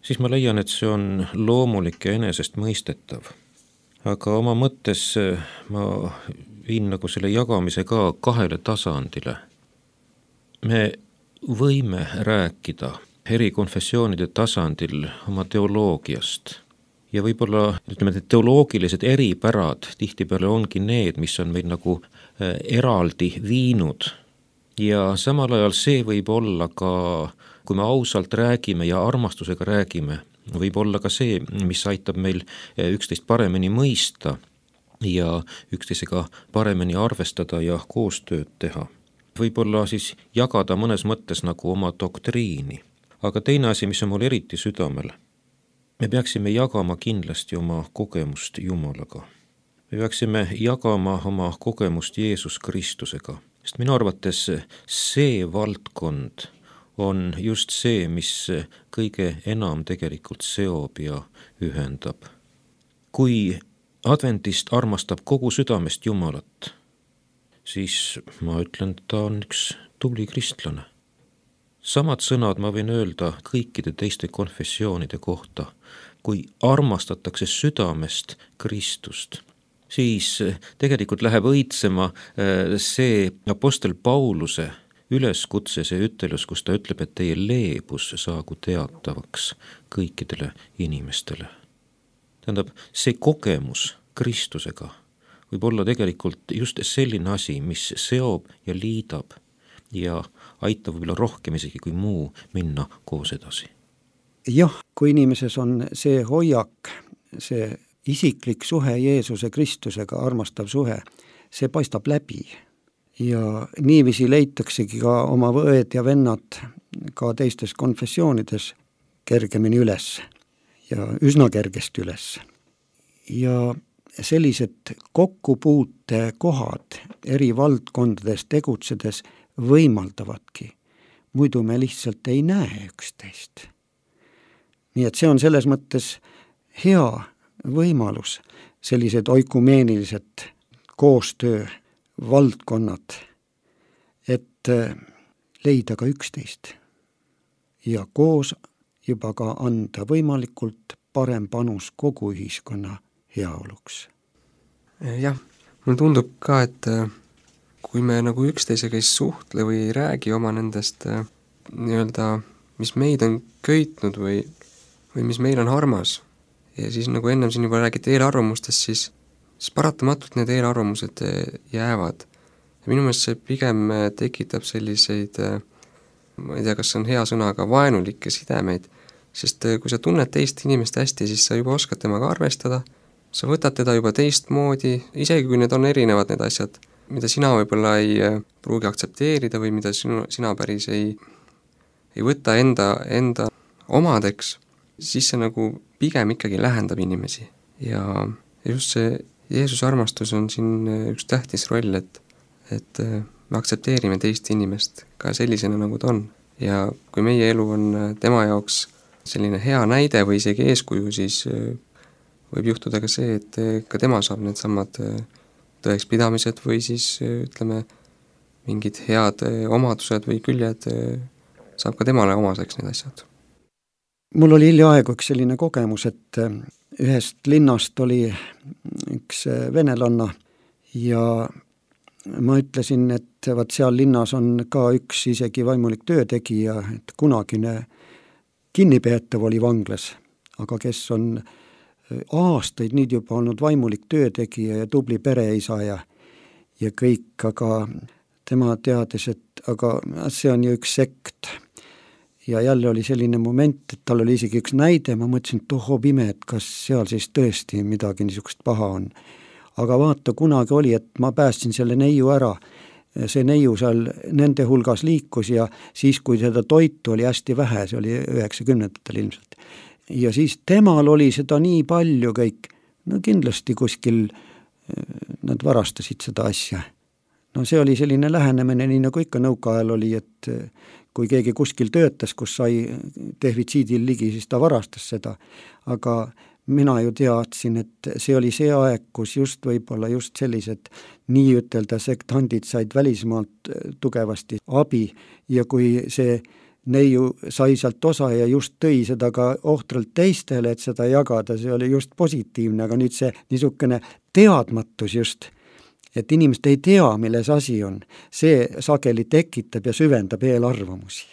siis ma leian, et see on loomulik ja enesest mõistetav. Aga oma mõttes ma viin nagu selle jagamise ka 2 tasandile. Me võime rääkida eri konfessioonide tasandil oma teoloogiast ja võib-olla need teoloogilised eripärad tihtipeale ongi need, mis on meid nagu eraldi viinud ja samal ajal see võib olla ka, kui me ausalt räägime ja armastusega räägime, võib olla ka see, mis aitab meil üksteist paremini mõista ja üksteisega paremini arvestada ja koostööd teha. Võib-olla siis jagada mõnes mõttes nagu oma doktriini. Aga teine asi, mis on mul eriti südamel, me peaksime jagama kindlasti oma kogemust Jumalaga. Me peaksime jagama oma kogemust Jeesus Kristusega, sest minu arvates see valdkond on just see, mis kõige enam tegelikult seob ja ühendab. Kui adventist armastab kogu südamest Jumalat, siis ma ütlen, et ta on üks tubli kristlane. Samad sõnad ma võin öelda kõikide teiste konfessioonide kohta. Kui armastatakse südamest Kristust, siis tegelikult läheb õitsema see apostel Pauluse üleskutse, see ütelus, kus ta ütleb, et teie leebus saagu teatavaks kõikidele inimestele. Tähendab, see kogemus Kristusega võib olla tegelikult just selline asi, mis seob ja liidab ja aitab võib-olla rohkem isegi kui muu minna koos edasi. Jah, kui inimeses on see hoiak, see isiklik suhe Jeesuse Kristusega, armastav suhe, see paistab läbi. Ja niiviisi leitaksegi ka oma õed ja vennad ka teistes konfessioonides kergemini üles ja üsna kergesti üles. Ja sellised kokkupuute kohad eri valdkondades tegutsedes võimaldavadki. Muidu me lihtsalt ei näe üksteist. Nii et see on selles mõttes hea võimalus, sellised oikumeenilised koostöö valdkonnad, et leida ka üksteist ja koos juba ka anda võimalikult parem panus kogu ühiskonna heaoluks. Jah, mulle tundub ka, et kui me nagu üksteisega ei suhtle või ei räägi oma nendest nii-öelda, mis meid on köitnud või mis meil on armas ja siis nagu ennem siin juba räägiti eelarvamustest, siis paratamatult need eelarvamused jäävad. Ja minu meelest see pigem tekitab selliseid, ma ei tea, kas on hea sõna, aga vaenulikke sidemeid, sest kui sa tunned teist inimest hästi, siis sa juba oskad temaga arvestada, sa võtad teda juba teistmoodi, isegi kui need on erinevad need asjad, mida sina võib-olla ei pruugi aktsepteerida või mida sina päris ei võta enda omadeks, siis see nagu pigem ikkagi lähendab inimesi. Ja just see Jeesuse armastus on siin üks tähtis roll, et me aktsepteerime teist inimest ka sellisena, nagu ta on. Ja kui meie elu on tema jaoks selline hea näide või isegi eeskuju, siis võib juhtuda ka see, et ka tema saab need samad tõekspidamised või siis ütleme, mingid head omadused või küljed saab ka temale omaseks need asjad. Mul oli hiljaaegu üks selline kogemus, et ühest linnast oli üks venelanna ja ma ütlesin, et vaat seal linnas on ka üks isegi vaimulik töötegija, et kunagine kinnipeetav oli vanglas, aga kes on aastaid nüüd juba olnud vaimulik töötegija ja tubli pereisa ja kõik, aga tema teades, et aga see on ju üks sekt. Ja jälle oli selline moment, et tal oli isegi üks näide, ma mõtlesin, et tohoo pime, et kas seal siis tõesti midagi niisugust paha on. Aga vaata, kunagi oli, et ma päästsin selle neiu ära. See neiu seal nende hulgas liikus ja siis, kui seda toitu oli hästi vähe, see oli 90-ndatel ilmselt. Ja siis temal oli seda nii palju kõik, no kindlasti kuskil nad varastasid seda asja. No see oli selline lähenemine, nii nagu ikka nõukaajal oli, et kui keegi kuskil töötas, kus sai defitsiidil ligi, siis ta varastas seda, aga mina ju teadsin, et see oli see aeg, kus just võib-olla just sellised nii ütelda sektandid said välismaalt tugevasti abi ja kui see neiu sai sealt osa ja just tõi seda ka ohtralt teistele, et seda jagada, see oli just positiivne, aga nüüd see niisugune teadmatus just, et inimesed ei tea, milles asi on, see sageli tekitab ja süvendab eelarvamusi.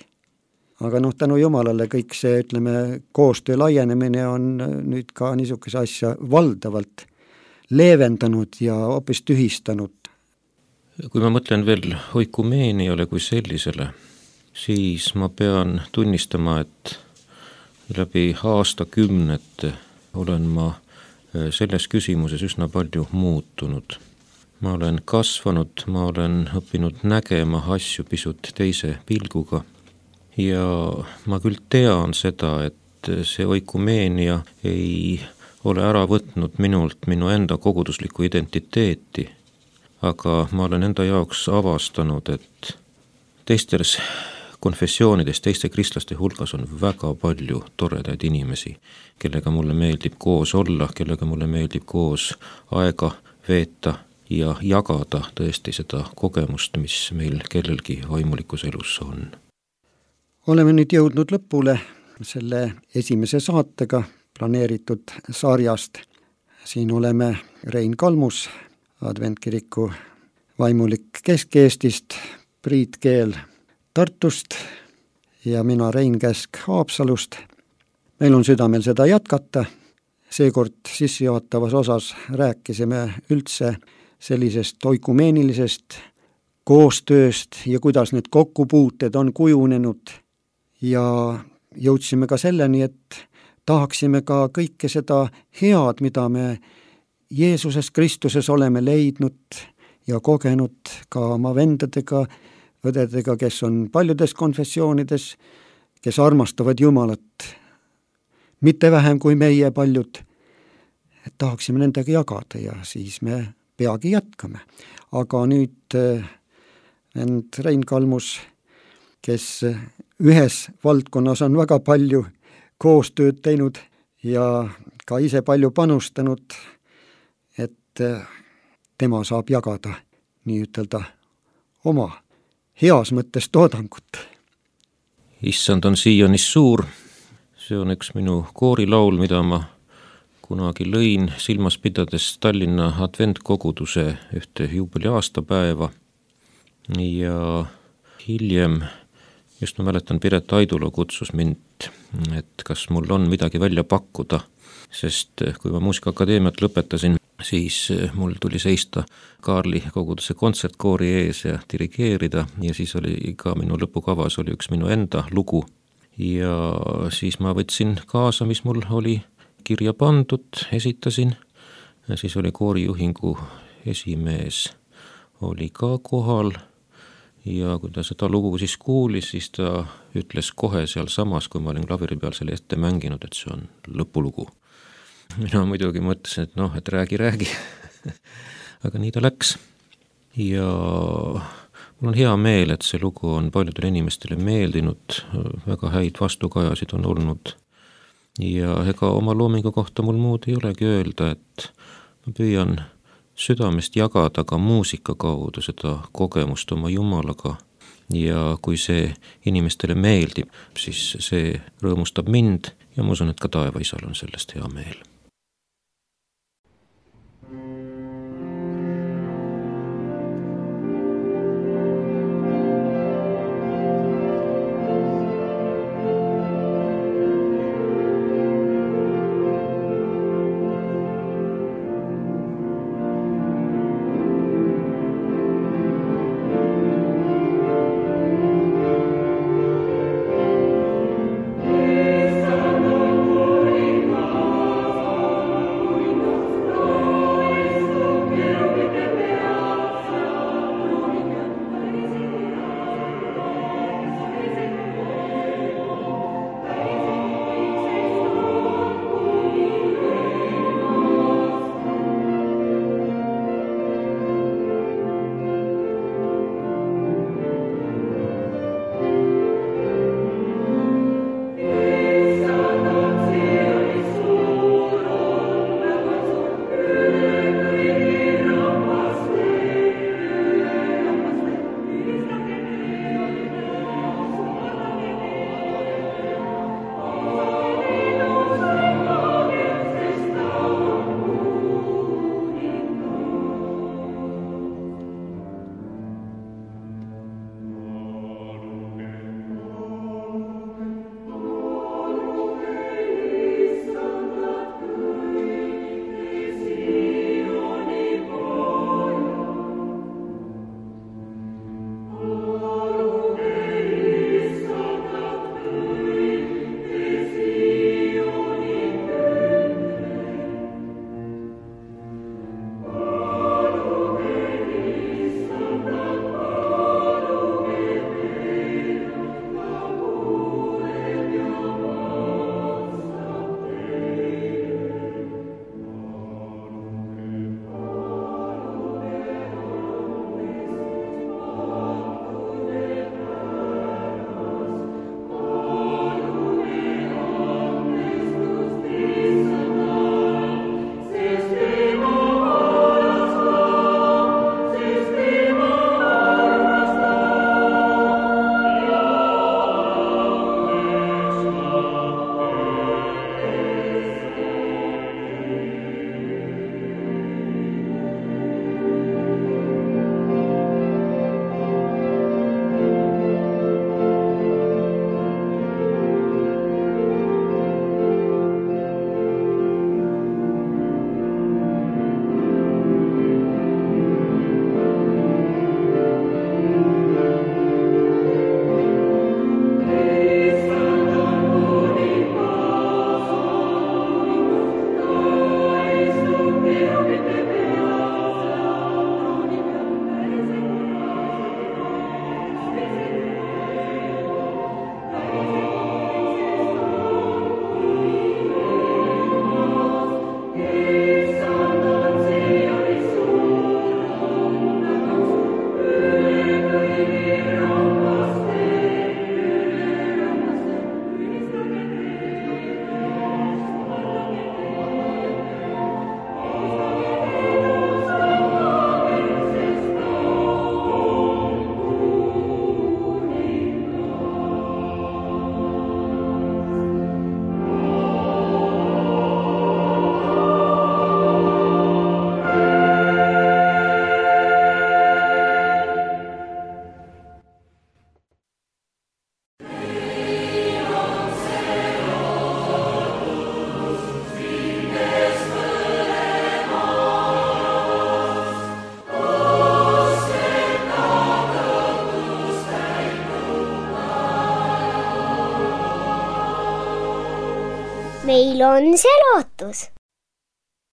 Aga tänu Jumalale kõik see, ütleme, koostöö laienemine on nüüd ka niisuguse asja valdavalt leevendanud ja hoopis tühistanud. Kui ma mõtlen veel oikumeeniale kui sellisele, siis ma pean tunnistama, et läbi aastakümnete olen ma selles küsimuses üsna palju muutunud. Ma olen kasvanud, ma olen õppinud nägema asju pisut teise pilguga ja ma küll tean seda, et see oikumeenia ei ole ära võtnud minult minu enda koguduslikku identiteeti, aga ma olen enda jaoks avastanud, et teistes konfessioonides, teiste kristlaste hulgas on väga palju toredaid inimesi, kellega mulle meeldib koos olla, kellega mulle meeldib koos aega veeta ja jagada tõesti seda kogemust, mis meil kellelgi vaimulikus elus on. Oleme nüüd jõudnud lõpule selle esimese saatega planeeritud sarjast. Siin oleme Rein Kalmus, Adventkiriku vaimulik Kesk-Eestist, Priit Keel Tartust ja mina Rein Käsk Haapsalust. Meil on südamel seda jätkata. Seekord sissejuhatavas osas rääkisime üldse sellisest oikumeenilisest koostööst ja kuidas need kokkupuuted on kujunenud ja jõudsime ka selleni, et tahaksime ka kõike seda head, mida me Jeesuses Kristuses oleme leidnud ja kogenud ka oma vendadega, õdedega, kes on paljudes konfessioonides, kes armastavad Jumalat mitte vähem kui meie paljud, et tahaksime nendega jagada ja siis me peagi jätkame. Aga nüüd vend Rein Kalmus, kes ühes valdkonnas on väga palju koostööd teinud ja ka ise palju panustanud, et tema saab jagada nii ütelda oma heas mõttes toodangut. Issand on Sionis suur, see on üks minu koorilaul, mida ma kunagi lõin silmas pidades Tallinna adventkoguduse ühte juubeli aastapäeva ja hiljem, just ma mäletan, Piret Aidulo kutsus mind, et kas mul on midagi välja pakkuda, sest kui ma Muusikaakadeemiat lõpetasin, siis mul tuli seista Kaarli koguduse kontsertkoori ees ja dirigeerida ja siis oli ka minu lõpukavas oli üks minu enda lugu ja siis ma võtsin kaasa, mis mul oli kirja pandud, esitasin ja siis oli koorijuhingu esimees oli ka kohal ja kui ta seda lugu siis kuulis, siis ta ütles kohe seal samas, kui ma olin klaveri peal selle ette mänginud, et see on lõpulugu. Mina muidugi mõtlesin, et et räägi. Aga nii ta läks. Ja mul on hea meel, et see lugu on paljudele inimestele meeldinud, väga häid vastukajasid on olnud. Ja ega oma loomingu kohta mul muud ei olegi öelda, et ma püüan südamest jagada ka muusika kaudu seda kogemust oma Jumalaga. Ja kui see inimestele meeldib, siis see rõõmustab mind ja ma usun, et ka taevaisal on sellest hea meel. meil on see lootus.